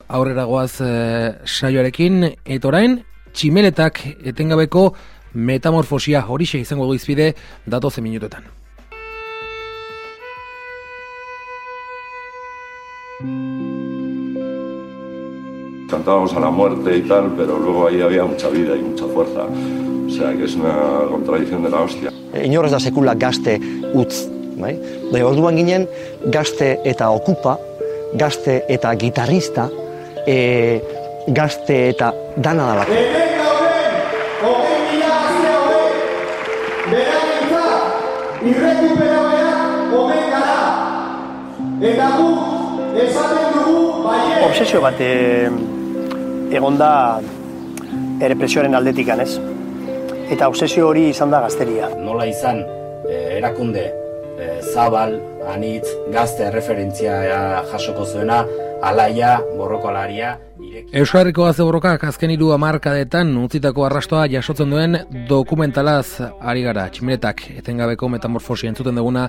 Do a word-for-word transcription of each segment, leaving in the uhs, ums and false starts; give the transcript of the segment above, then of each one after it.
aurrera goaz e, saioarekin, eta orain, tximeletak etengabeko metamorfosia horixe izango du izpide datozen minutuetan. Cantábamos a la muerte y tal, pero luego ahí había mucha vida y mucha fuerza. O sea, que es una contradicción de la hostia. Inor ez da sekula gazte utz, bai? Da, orduan ginen gazte eta okupa, gazte eta gitarrista, e, gazte eta dana dalako. Hemen gauden, hogei mila azte hogei, berarentzat, irrekuperabeak omen gara. Eta guk esaten dugu baiet. Obsesio bat e, egonda errepresioaren aldetikan, ez? Eta obsesio hori izan da gazteria. Nola izan eh, erakunde eh, zabal, anitz, gazte referentzia jasoko zuena, alaia, borrokalaria, ireki. Euskal Herriko gazte borrokak azken hiru hamarkadetan utzitako arrastoa jasotzen duen dokumentalaz ari gara. Tximeletak etengabeko metamorfosia entzuten duguna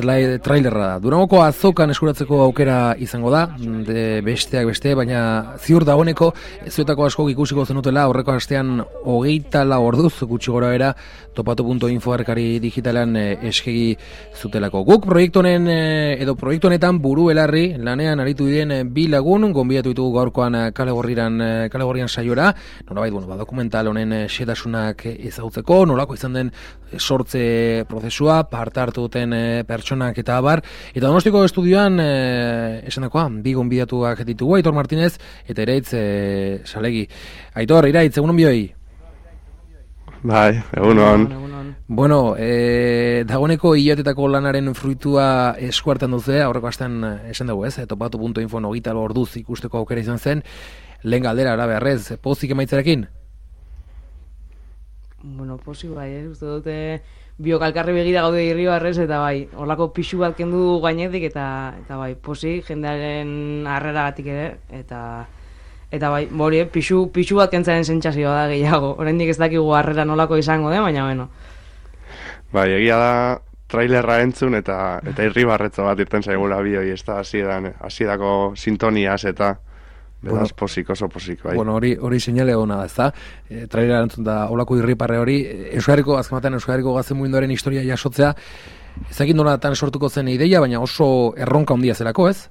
trailerra da. Durangoko azokan eskuratzeko aukera izango da, de besteak beste, baina ziur dagoeneko zuetako asko ikusiko zenutela aurreko astean hogeita lau orduz gutxi gora bera topatu puntu info arkari digitalan eskegi zutelako. Guk proiektu honen edo proiektu honetan buru belarri lanean aritu diren bi lagun gonbidatu ditugu gaurkoan kale gorrian kale gorrian saiora. Nolabait, bueno, ba, dokumental honen xehetasunak ezagutzeko, nolako izan den sortze prozesua, parte hartu duten pertsonak eta abar, eta Donostiko estudioan e, esandakoa, bi gonbidatuak ditugu, Aitor Martinez eta Iraitz e, Salegi. Aitor, Iraitz, egunon bioi? Bai, egunon. Bueno, e, dagoeneko hilatetako lanaren fruitua eskuartan duzu, aurreko astean esan dugu, ez? Topatu puntu info hogeita lau orduz ikusteko aukera izan zen, lehen galdera, ara beharrez, pozik emaitzarekin? Bueno, pozik bai, ez, uste dute biokalkarri begira gaude Irribarrez, eta bai, horlako pixu bat kendu gainetik, eta eta bai, pozik jendearen harreragatik ere, eta eta bai, hori, pixu, pixu bat kentzaren sentsazioa da gehiago. Oraindik ez dakigu harrera nolako izango den, baina bueno. Bai, egia da trailerra entzun eta eta Irribarretzo bat irten zaigula bioi, ez da hasieran hasiedako sintoniaz eta beraz, posik, oso posik, bai. Bueno, hori hori seinale ona da, ezta? E, trailera entzun da holako irriparre hori, Euskal Herriko azkematen Euskal Herriko gazte mugimenduaren historia jasotzea, ezagik nolatan sortuko zen ideia, baina oso erronka handia zelako, ez?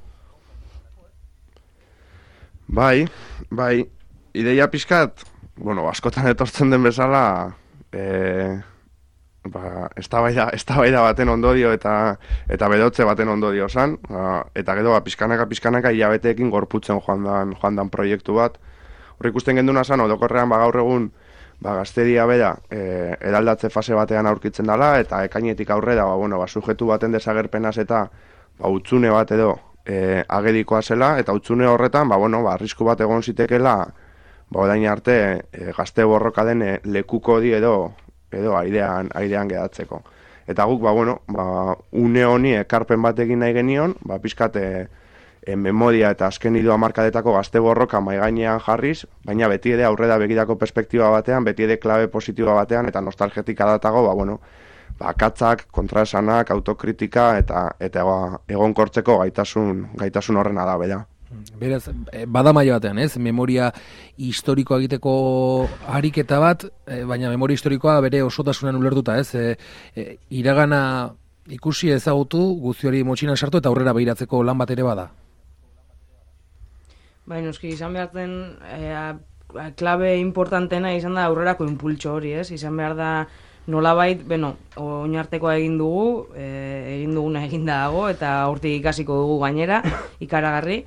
Bai, bai, ideia pixkat, bueno, askotan etortzen den bezala, eh, ba, eztabaida eztabaida baten ondorio eta eta bedotze baten ondorio zan, ba, eta gero ba, pizkanaka pizkanaka hilabeteekin gorputzen joan dan, joan dan proiektu bat. Hor ikusten genduna zan, orokorrean ba, gaur egun ba, gazteria bera e, eraldatze fase batean aurkitzen dela, eta ekainetik aurrera ba, bueno, ba, sujetu baten desagerpenaz eta ba, utzune bat edo e, agerikoa zela, eta utzune horretan ba, bueno, ba, arrisku bat egon zitekela ba, orain arte e, gazte borroka den e, lekuko di edo edo airean, airean gedatzeko. Eta guk, ba, bueno, ba, une honi ekarpen bat egin nahi genion, ba, pizkat e, e, memoria eta azken hiru hamarkadetako gazte borroka mahai gainean jarriz, baina beti ere aurrera begirako perspektiba batean, beti ere klabe positiba batean, eta nostalgetika datago, ba, bueno, ba, akatzak, kontraesanak, autokritika, eta eta ba, egonkortzeko gaitasun, gaitasun horrena da, bera. Beraz, bada maila batean, ez? Memoria historikoa egiteko ariketa bat, baina memoria historikoa bere osotasunan ulertuta, ez? E, e, iragana ikusi ezagutu, guzti hori motxinan sartu eta aurrera behiratzeko lan bat ere bada. Baina, noski, izan behar den, e, klabe importantena izan da aurrerako impultso hori, ez? Izan behar da nolabait, bueno, oinartekoa egin dugu, e, egin duguna egin dago, eta hortik ikasiko dugu gainera, ikaragarri,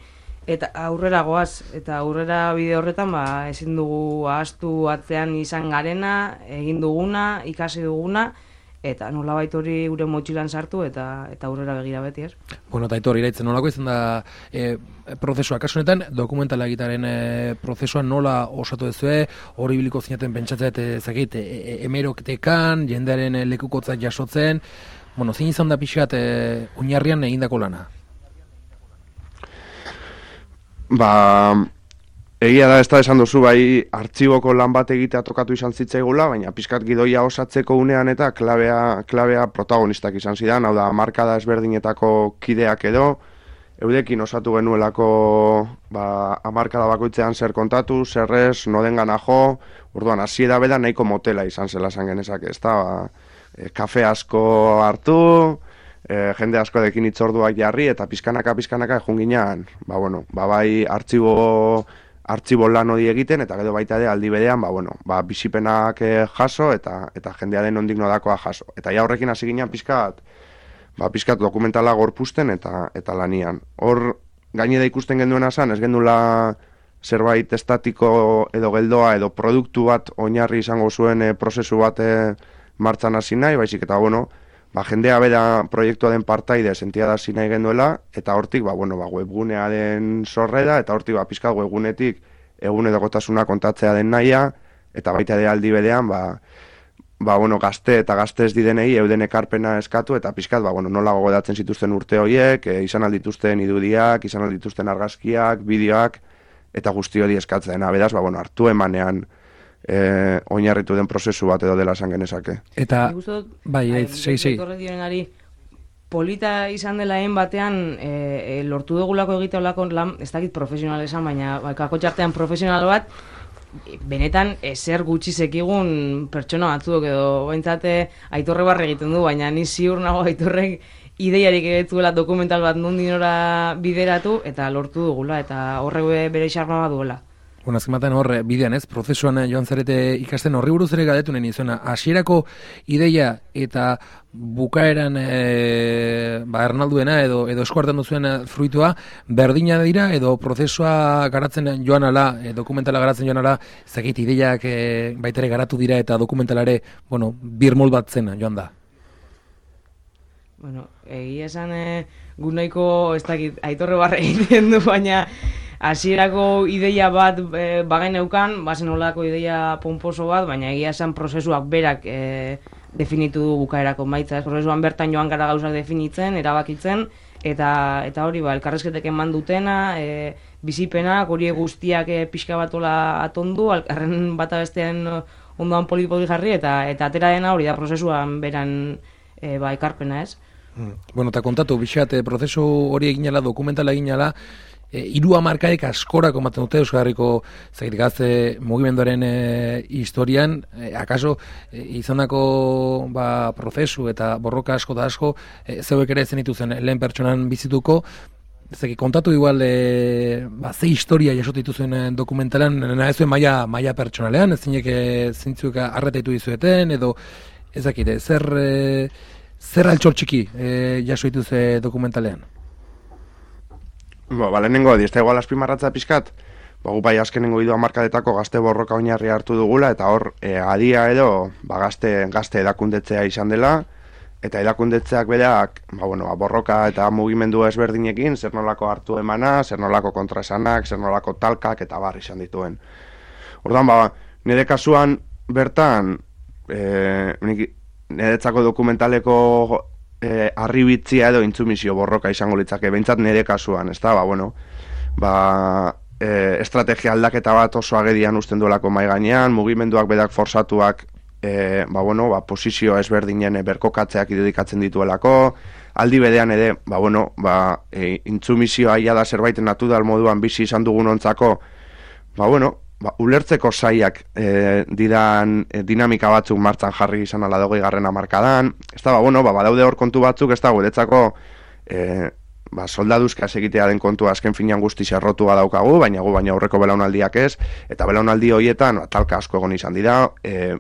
eta aurrera goaz, eta aurrera bide horretan, ba, ezin dugu ahaztu atzean izan garena, egin duguna, ikasi duguna, eta nolabait hori gure motxilan sartu, eta eta aurrera begira beti, ez? Bueno, eta Aitor, Iraitzen, nolako izan da e, prozesua, kasu honetan, dokumentala egitaren e, prozesua nola osatu dezue, hori biliko zinaten pentsatzea, ezagit, e, e, emeroktekan, jendearen lekukotzak jasotzen, bueno, zein izan da pixkat e, oinarrian egindako lana? Ba, egia da, ez da esan duzu, bai, artxiboko lan bat egitea tokatu izan zitzaigula, baina pizkat gidoia osatzeko unean eta klabea, klabea protagonistak izan zidan, hau da, markada ezberdinetako kideak edo, eudekin osatu genuelako ba, hamarkada bakoitzean zer kontatu, zer ez, nodengana jo, orduan hasiera beda nahiko motela izan zela esan genezake, ezta, ba, e, kafe asko hartu, e, jende asko dekin itzorduak jarri, eta pizkanaka, pizkanaka egun ginean, ba, bueno, ba, bai, artxibo, artxibo lan hori egiten, eta gero baita ere aldi berean, ba, bueno, ba, bizipenak jaso, eta, eta jendea den ondik nodakoa jaso. Eta ja horrekin hasi ginean pizkat, ba, pizkat dokumentala gorpusten eta eta lanian. Hor, gainera ikusten genduena zan, ez gendula zerbait estatiko edo geldoa edo produktu bat oinarri izango zuen e, prozesu bat e, martxan hasi nahi, baizik eta, bueno, ba, jendea bera proiektua den partaide sentia da hasi nahi genduela, eta hortik, ba, bueno, ba, webgunea den sorrera, eta hortik, ba, pizkat webgunetik egunerokotasuna kontatzea den nahia, eta baita ere aldi berean, ba, ba, bueno, gazte eta gazte ez didenei euden ekarpena eskatu, eta pizkat, ba, bueno, nola gogoratzen zituzten urte horiek, e, izan aldituzten irudiak, izan aldituzten argazkiak, bideoak, eta guzti hori eskatzen. Beraz, ba, bueno, hartu emanean e, oinarritu den prozesu bat edo dela esan genezake. Eta, bai, ez, sei, sei. Polita izan dela egin batean, e, e, lortu dugulako egitea olako lan, ez dakit profesional esan, baina kako txartean profesional bat, benetan ezer gutxi sekigun pertsona batzuk edo baintzate Aitorre barre egiten du, baina ni ziur nago Aitorrek ideiarik egetzuela dokumental bat nondinora bideratu eta lortu dugula eta horrek bere xarma bat duela. Bueno, azkematen horre, bidean ez, prozesuan joan zarete ikasten horri buruz ere galdetu neni izena, hasierako ideia eta bukaeran e, ba, Ernalduena edo, edo eskuartan duzuen fruitua berdina dira edo prozesua garatzen joan ala, e, dokumentala garatzen joan ala, ezakit ideiak e, baitere garatu dira eta dokumentalare, bueno, birmol bat zen joan da. Bueno, egia esan e, gu nahiko, ez dakit, Aitorre barre egiten du, baina hasierako ideia bat e, bagain neukan, bazen olako ideia pomposo bat, baina egia esan prozesuak berak e, definitu du bukaerako maitza. Ez? Prozesuan bertan joan gara gauzak definitzen, erabakitzen, eta eta hori ba, elkarrezketek eman dutena, e, bizipenak, hori guztiak e, pixka batola atondu, alkarren bata bestean ondoan polipoli jarri, eta eta atera dena hori da prozesuan beran e, ba, ekarpena, ez? Hmm. Bueno, eta kontatu, bixat, e, prozesu hori eginala, dokumentala eginala, E, iru hamarkadek askorako ematen dute Euskal Herriko zait gazte mugimenduaren e, historian, e, akaso e, izandako ba, prozesu eta borroka asko da asko e, zeuek ere zenituzen lehen pertsonan bizituko, zeki kontatu igual e, ba, ze historia jasot dituzuen dokumentalan, nahi zuen maia, maia pertsonalean, ez zinek zintzuek arretaitu dizueten, edo ezakite, zer, e, zer altxor txiki e, jaso dituzue dokumentalean? Ba, ba, lehenengo, diezta igual azpimarratza pizkat, ba, gu bai azkenengo hiru hamarkadetako gazte borroka oinarri hartu dugula, eta hor, e, adia edo, ba, gazte, gazte edakundetzea izan dela, eta edakundetzeak berak, ba, bueno, ba, borroka eta mugimendu ezberdinekin, zer nolako hartu emana, zer nolako kontraesanak, zer nolako talkak, eta bar izan dituen. Ordan, ba, nire kasuan, bertan, e, niretzako dokumentaleko E, arribitzia edo intzumizio borroka izango litzake, behintzat nire kasuan, ez da, ba, bueno, ba, e, estrategia aldaketa bat oso agedian usten duelako mai gainean, mugimenduak bedak forsatuak, e, ba, bueno, ba, posizio ezberdinen berkokatzeak irudikatzen dituelako, aldi bedean ere, ba, bueno, ba, e, intzumizioa ia da zerbait natural moduan bizi izan dugun ontzako, ba, bueno, ba, ulertzeko saiak e, didan e, dinamika batzuk martzan jarri izan ala dogei garren hamarkadan. Ez da, ba, bueno, ba, badaude hor kontu batzuk, ez da, guretzako e, ba, soldaduzka egitea den kontua azken finean guzti zerrotua daukagu, baina gu baina aurreko belaunaldiak ez, eta belaunaldi horietan, ba, talka asko egon izan dira, e,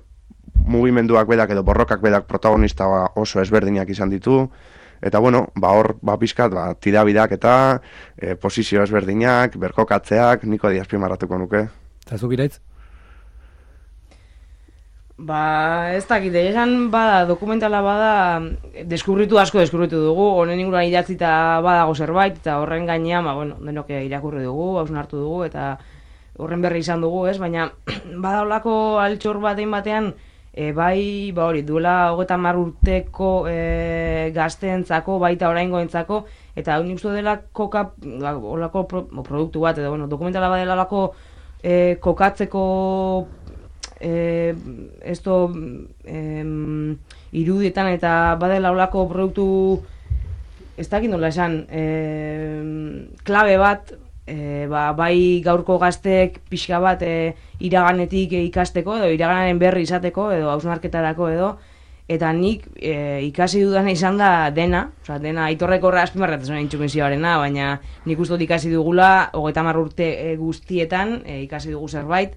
mugimenduak bedak edo borrokak bedak protagonista oso ezberdinak izan ditu, eta bueno, ba, hor, ba, pizkat, ba, tirabidak eta e, posizio ezberdinak, berkokatzeak, niko diazpimarratuko nuke. Eta zuk iraitz? Ba, ez dakit, esan bada, dokumentala bada, deskubritu asko deskubritu dugu, honen inguruan idatzita badago zerbait, eta horren gainean, ba, bueno, denok irakurri dugu, hausnartu dugu, eta horren berri izan dugu, ez? Baina, bada olako altxor batein batean, e, bai, ba hori, duela hogeita hamar urteko e, gazteentzako, baita oraingoentzako, eta hau nik uste dela koka, olako pro, produktu bat, edo, bueno, dokumentala badela olako E, kokatzeko e, esto e, irudietan eta badela olako produktu ez dakit nola esan, e, klabe bat, e, ba, bai gaurko gazteek pixka bat e, iraganetik ikasteko, edo iraganaren berri izateko, edo hausnarketarako edo, eta nik e, ikasi dudana izan da dena, oza, dena aitorreko horra azpimarratzen intsumisioarena, baina nik uste dut ikasi dugula, hogeita hamar urte e, guztietan e, ikasi dugu zerbait,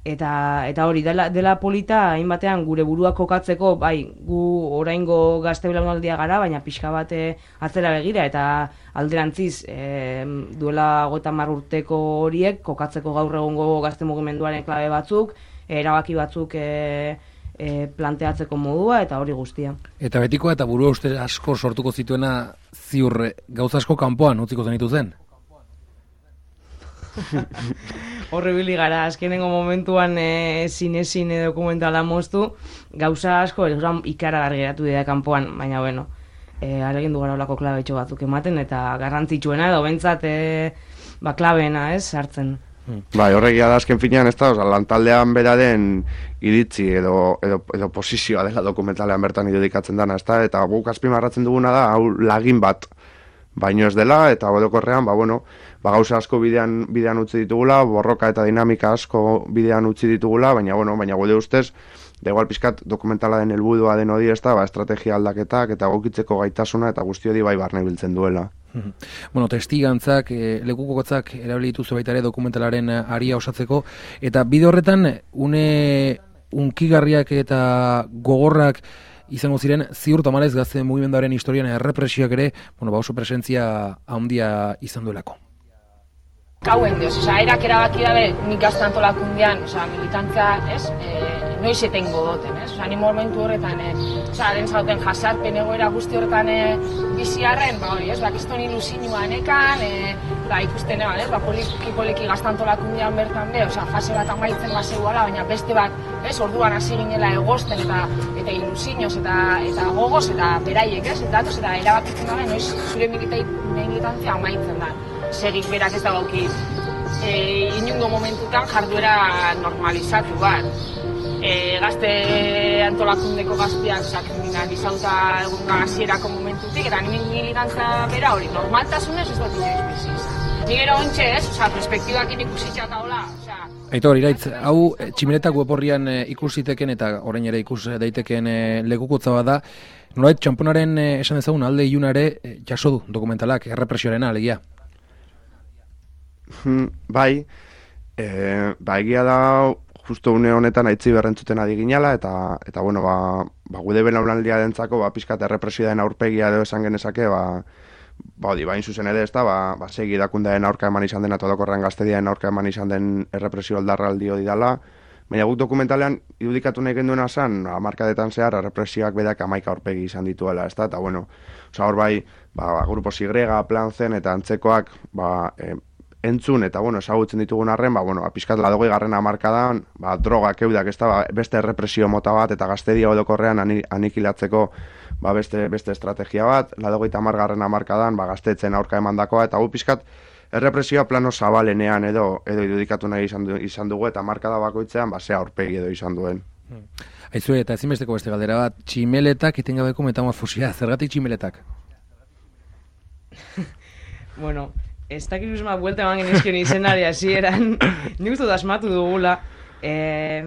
eta eta hori dela, dela polita hainbatean gure buruak kokatzeko, bai, gu oraingo gazte belaunaldia gara, baina pixka bat atzera begira, eta alderantziz e, duela hogeita hamar urteko horiek kokatzeko gaur egungo gazte mugimenduaren klabe batzuk, erabaki batzuk e, e, planteatzeko modua, eta hori guztia. Eta betikoa eta burua uste asko sortuko zituena ziur gauza asko kanpoan utziko zenitu zen? Horribili gara, azkenengo momentuan e, zine-zine dokumentala moztu, gauza asko ikaragarri geratu dira kanpoan, baina bueno, e, aregin du gara olako klabetxo batzuk ematen, eta garrantzitsuena edo bentsat e, ba, klabeena, ez, sartzen. Bai, horregia da azken finean, ez da, oza, lantaldean beraren iritzi edo, edo, edo posizioa dela dokumentalean bertan irudikatzen dana, ez da, eta guk azpimarratzen duguna da, hau lagin bat, baino ez dela, eta orokorrean, ba, bueno, ba, gauza asko bidean, bidean utzi ditugula, borroka eta dinamika asko bidean utzi ditugula, baina, bueno, baina gure ustez, da igual pizkat dokumentala den helburua den hori, ez da, ba, estrategia aldaketak eta gokitzeko gaitasuna eta guzti hori bai barne biltzen duela. Bueno, testigantzak, e, lekukotzak erabili dituzu baita ere dokumentalaren aria osatzeko, eta bide horretan, une unkigarriak eta gogorrak izango ziren, ziur tamalez gazte mugimenduaren historian errepresioak ere, bueno, ba oso presentzia handia izan duelako. Kauen dioz, oza, erak erabaki dabe nik gazte antolakundean, oza, militantza, ez, e, noiz etengo doten, ez, oza, ni momentu horretan, e, oza, den zauten jasarpen egoera guzti horretan e, biziarren, ba hori, ez, ba, kiston ilusinuan ekan, e, ba, ikusten eban, ez, ba, poliki, poliki gazte antolakundean bertan be, oza, fase bat amaitzen bazegoala, baina beste bat, ez, orduan hasi ginela egosten eta eta ilusinoz eta eta gogoz eta beraiek, ez, datoz eta erabakitzen dabe, noiz zure militantzia amaitzen da. Segik berak ez dagoki e, inungo momentutan jarduera normalizatu bat. E, gazte antolakundeko gazteak sakriminal izauta egun gazierako momentutik, eta nire militantza bera hori normaltasunez ez dut inoiz biziz. Nire ontxe ez, oza, perspektibak inikusitza eta hola. Aitor, iraitz, hau tximeretak weborrian e, ikusiteken eta orain ere ikus daiteken e, lekukotza bada, nolait txamponaren e, esan ezagun alde iluna ere e, jaso du dokumentalak, errepresioarena alegia. Bai, e, ba egia da justo une honetan aitzi berrentzuten adi ginala, eta, eta bueno, ba, ba gude belaunaldia dentzako, ba, pizkat errepresioaren aurpegia edo esan genezake, ba, ba, odi, bain zuzen ere ez da, ba, ba segi dakundaen aurka eman izan den, atodokorrean gaztediaen aurka eman izan den errepresio aldarraldi hori dala, baina guk dokumentalean irudikatu nahi genduena zan, hamarkadetan zehar, errepresioak bedak amaika aurpegi izan dituela, ez da, eta bueno, oza, hor bai, ba, Grupo Sigrega, Plan Zen, eta antzekoak, ba, e, entzun eta bueno, ezagutzen ditugun arren, ba bueno, pizkat laurogei garrena hamarkadan, ba drogak eudak, ezta, ba, beste errepresio mota bat eta gaztedia orokorrean anikilatzeko ba beste beste estrategia bat, laurogeita hamar garrena hamarkadan, ba gaztetzen aurka emandakoa eta gu pizkat errepresioa plano zabalenean edo edo irudikatu nahi izan, du, izan dugu eta hamarkada bakoitzean ba ze aurpegi edo izan duen. Hmm. Aizu eta ezinbesteko beste galdera bat, tximeletak etengabeko metamorfosia, zergatik tximeletak? Bueno, ez dakit uzma buelta eman genizkion izenari hasieran, nik uste asmatu dugula, eh,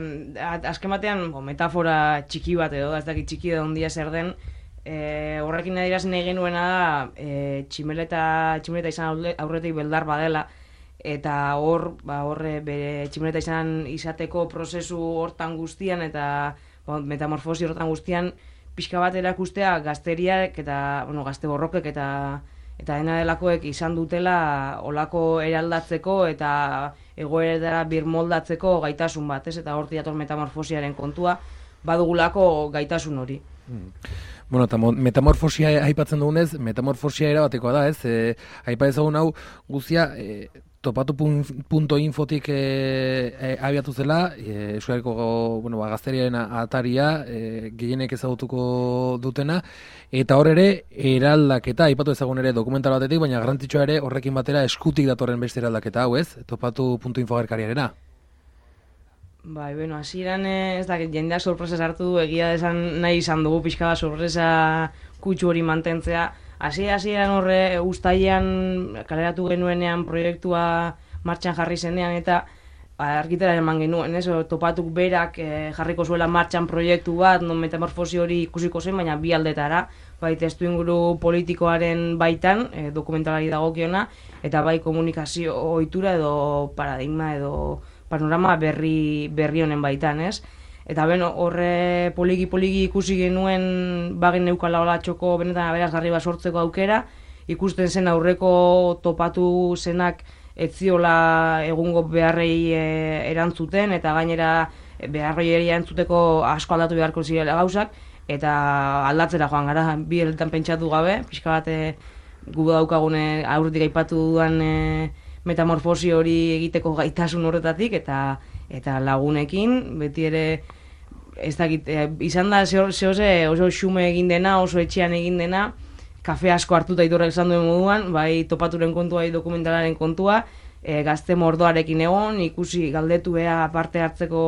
azken batean bo, metafora txiki bat edo, ez dakit txiki edo ondia zer den, eh, horrekin adiraz nahi genuena da, eh, tximeleta, tximeleta izan aurretik beldar badela, eta hor, ba, horre bere tximeleta izan izateko prozesu hortan guztian, eta bo, metamorfosi hortan guztian, pixka bat erakustea gazteriak eta, bueno, gazte borrokek eta eta dena delakoek izan dutela olako eraldatzeko eta egoera birmoldatzeko gaitasun bat, ez? Eta hortik dator metamorfosiaren kontua, badugulako gaitasun hori. Hmm. Bueno, eta metamorfosia aipatzen dugunez, metamorfosia erabatekoa da, ez? E, aipa ezagun hau guztia e, topatu punto infotik e, e, abiatu zela, e, Euskarriko bueno, ba, gazteriaren ataria e, gehienek ezagutuko dutena, eta hor ere eraldaketa, aipatu ezagun ere dokumental batetik, baina garrantzitsua ere horrekin batera eskutik datorren beste eraldaketa hau, ez? Topatu punto info gerkariarena. Bai, bueno, hasieran ez da, jendeak sorpresa sartu du, egia esan nahi izan dugu pixka bat sorpresa kutsu hori mantentzea, hasi hasieran horre uztailean kaleratu genuenean proiektua martxan jarri zenean eta argitara eman genuen, ez? Topatuk berak eh, jarriko zuela martxan proiektu bat, non metamorfosi hori ikusiko zen, baina bi aldetara, bai testu inguru politikoaren baitan, eh, dokumentalari dagokiona, eta bai komunikazio ohitura edo paradigma edo panorama berri berri honen baitan, ez? Eta beno, horre poliki-poliki ikusi genuen bagen neukala hola txoko benetan aberasgarri bat sortzeko aukera, ikusten zen aurreko topatu zenak ez ziola egungo beharrei e, erantzuten, eta gainera beharrei erantzuteko asko aldatu beharko zirela gauzak, eta aldatzera joan gara, bi eletan pentsatu gabe, pixka bat e, gu daukagune aurretik aipatu dudan e, metamorfosi hori egiteko gaitasun horretatik, eta eta lagunekin, beti ere, ez dakit, e, izan da zehoze oso xume egin dena, oso etxean egin dena, kafe asko hartuta itorrek esan duen moduan, bai topaturen kontua, bai dokumentalaren kontua, e, gazte mordoarekin egon, ikusi galdetu ea parte hartzeko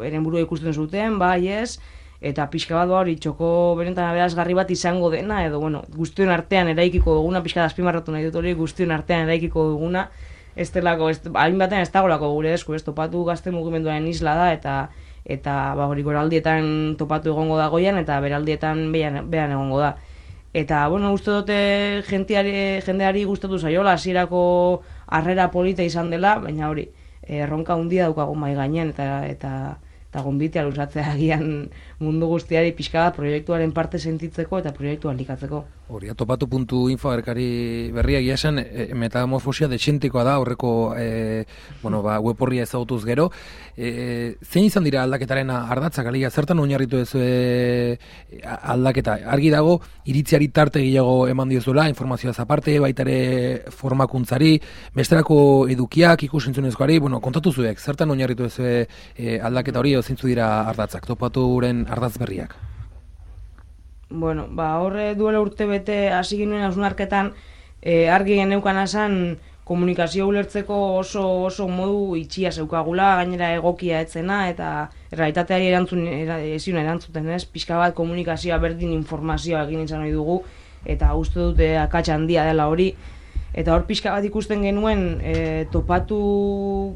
eren burua ikusten zuten, bai ez, eta pixka bat hori txoko benetan aberasgarri bat izango dena, edo bueno, guztion artean eraikiko duguna, pixka da azpimarratu nahi dut hori, guztion artean eraikiko duguna, ez delako, hain batean ez dagolako gure esku, ez topatu gazte mugimenduaren isla da, eta eta ba hori goraldietan topatu egongo da goian, eta beraldietan behan, behan egongo da. Eta, bueno, uste dute jendeari, jendeari gustatu zaiola, hasierako harrera polita izan dela, baina hori, erronka handia daukagu mai gainean, eta eta eta gonbitea luzatzea agian mundu guztiari pixka bat proiektuaren parte sentitzeko eta proiektua likatzeko. Hori, topatu puntu info agerkari berria egia esan, e, metamorfosia desentikoa da, horreko e, bueno, ba, web horria ezagutuz gero. E, zein izan dira aldaketaren ardatzak, alia, zertan oinarritu ez e, aldaketa? Argi dago, iritziari tarte gehiago eman diozuela, informazioaz aparte, baita ere formakuntzari, besterako edukiak, ikusentzunezkoari, bueno, kontatu zuek, zertan oinarritu ez e, aldaketa hori, zintzu dira ardatzak, topaturen ardatz berriak? Bueno, ba, horre duela urte bete hasi ginen hausnarketan e, argi geneukan esan komunikazio ulertzeko oso oso modu itxia zeukagula, gainera egokia etzena, eta realitateari erantzun, ezin erantzuten ez, pixka bat komunikazioa berdin informazioa egin izan nahi dugu, eta uste dute akats handia dela hori, eta hor pixka bat ikusten genuen e, topatu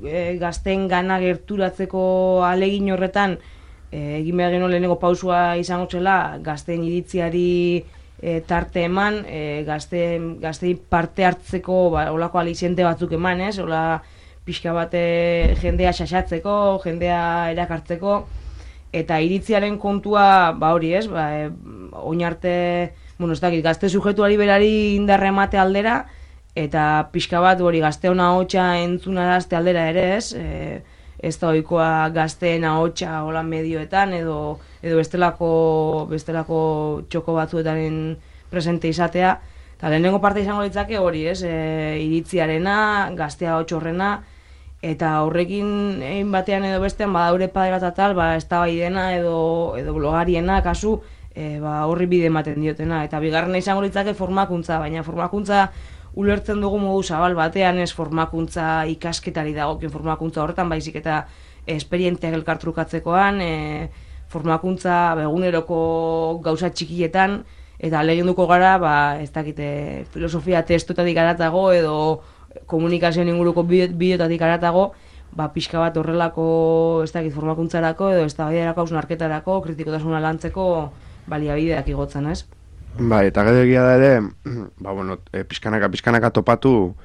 e, gazten gana gerturatzeko ahalegin horretan, E, egin behar genuen lehenengo pausua izango zela, gazteen iritziari e, tarte eman, e, gazte, gaztei parte hartzeko ba, olako aliziente batzuk eman, ez? Ola pixka bat e, jendea xaxatzeko, jendea erakartzeko, eta iritziaren kontua, ba hori ez, ba, e, oin arte, bueno, ez dakit, gazte sujetuari berari indarra emate aldera, eta pixka bat hori gazteona hotxa entzunarazte aldera ere ez, e, ez da ohikoa gazteen ahotsa hola medioetan edo edo bestelako bestelako txoko batzuetan presente izatea. Ta lehenengo parte izango litzake hori, ez? E, iritziarena, gaztea ahots horrena, eta horrekin egin batean edo bestean badaure padera eta tal, ba eztabaidena edo edo blogariena kasu e, ba horri bide ematen diotena, eta bigarrena izango litzake formakuntza, baina formakuntza ulertzen dugu modu zabal batean, ez formakuntza ikasketari dagokien formakuntza horretan, baizik eta esperienteak elkartrukatzekoan, e, formakuntza eguneroko gauza txikietan, eta lehenduko gara, ba, ez dakite, filosofia testoetatik aratago edo komunikazioen inguruko bideotatik aratago, ba, pixka bat horrelako, ez dakit, formakuntzarako edo ez da baiderako hausnarketarako, kritikotasuna lantzeko baliabideak igotzen, ez? Bai, eta gero egia da ere, ba, bueno, e, pizkanaka, pizkanaka topatu,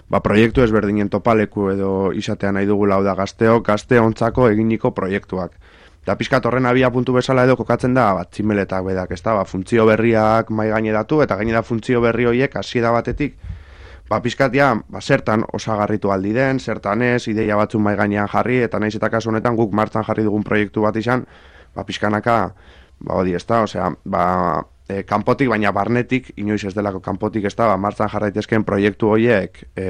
ba, proiektu ezberdinen topaleku edo izatea nahi dugula, hau da gazteo, gazte ontzako eginiko proiektuak. Eta pizkat horren abia puntu bezala edo kokatzen da, bat, tximeletak bedak, ez da, ba, funtzio berriak mai gaineratu, eta gainera funtzio berri horiek hasiera batetik, ba, pizkat ja, ba, zertan osagarritu aldi den, zertan ez, ideia batzu mai gainean jarri, eta naiz eta kasu honetan guk martxan jarri dugun proiektu bat izan, ba, pizkanaka, ba, hori ez da, osea, ba, E, kanpotik, baina barnetik, inoiz ez delako kanpotik ez da, ba, martzan jarraitezken proiektu horiek, e,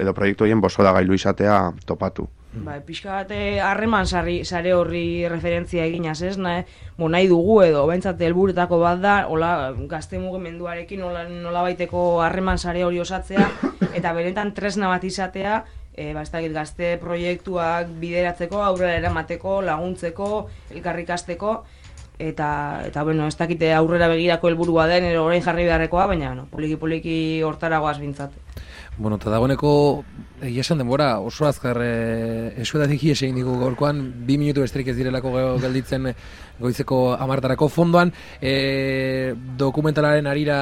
edo proiektu horien bosoda gailu izatea topatu. Ba, pixka bat harreman sare horri referentzia eginaz, ez? Nahi, bo, nahi dugu edo, bentsat helburuetako bat da, hola, gazte mugimenduarekin nola, nola baiteko harreman sare hori osatzea, eta benetan tresna bat izatea, e, ba, ez dakit, gazte proiektuak bideratzeko, aurrera eramateko, laguntzeko, elkarrikasteko, eta, eta bueno, ez dakite aurrera begirako helburua den, ero orain jarri beharrekoa, baina no, poliki-poliki hortaragoaz bintzat. Bueno, eta dagoeneko, egia esan denbora, oso azkar e, esuetatik hies egin digu gaurkoan, bi minutu besterik ez direlako gelditzen goizeko hamartarako fondoan, e, dokumentalaren arira,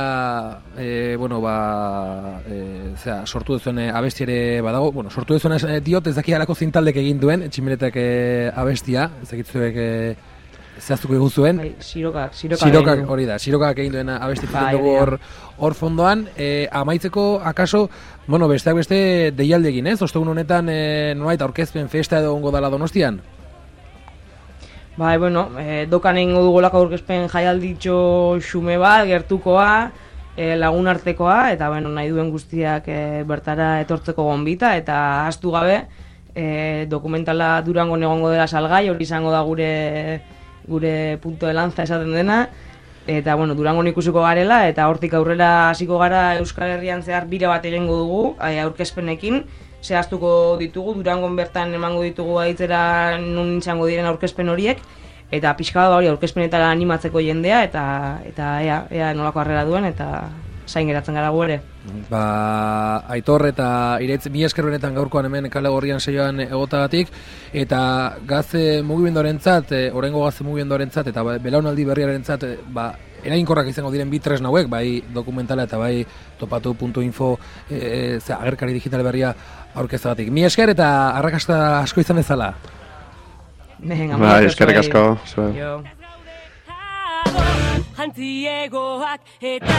e, bueno, ba, e, zera, sortu duzuen abesti ere badago, bueno, sortu duzuen e, diot, ez daki alako zintaldek egin duen, Tximeletak e, abestia, ez dakitzuek e, zehaztuko egun zuen. Bai, sirokak, sirokak, sirokak hori da, sirokak egin duen abestitzen bai, dugu hor, hor fondoan. E, amaitzeko, akaso, bueno, besteak beste deialde egin, ez? Ostegun honetan, e, nolait, aurkezpen festa edo ongo dala Donostian? Bai, bueno, e, dokan egingo dugolako aurkezpen jaialditxo xume bat, gertukoa, e, lagun artekoa, eta bueno, nahi duen guztiak e, bertara etortzeko gonbita, eta ahaztu gabe, e, dokumentala Durangon egongo dela salgai, hori izango da gure gure punto de lanza esaten dena, eta bueno, Durangon ikusiko garela, eta hortik aurrera hasiko gara Euskal Herrian zehar bira bat egingo dugu, aurkezpenekin, zehaztuko ditugu, Durangon bertan emango ditugu aitzera nun izango diren aurkezpen horiek, eta pixka bat hori aurkezpenetara animatzeko jendea, eta eta ea, ea nolako harrera duen, eta zain geratzen gara gu ere. Ba, Aitor eta Iraitz, mi esker benetan gaurkoan hemen Kale Gorrian saioan egotagatik, eta gazte mugimenduarentzat, e, oraingo gazte mugimenduarentzat eta belaunaldi berriarentzat, e, ba, eraginkorrak izango diren bi tresna hauek, bai dokumentala eta bai topatu puntu info e, e, agerkari digital berria aurkezagatik. Mi esker eta arrakasta asko izan ezala. Bai, eskerrik asko. Antziegoak eta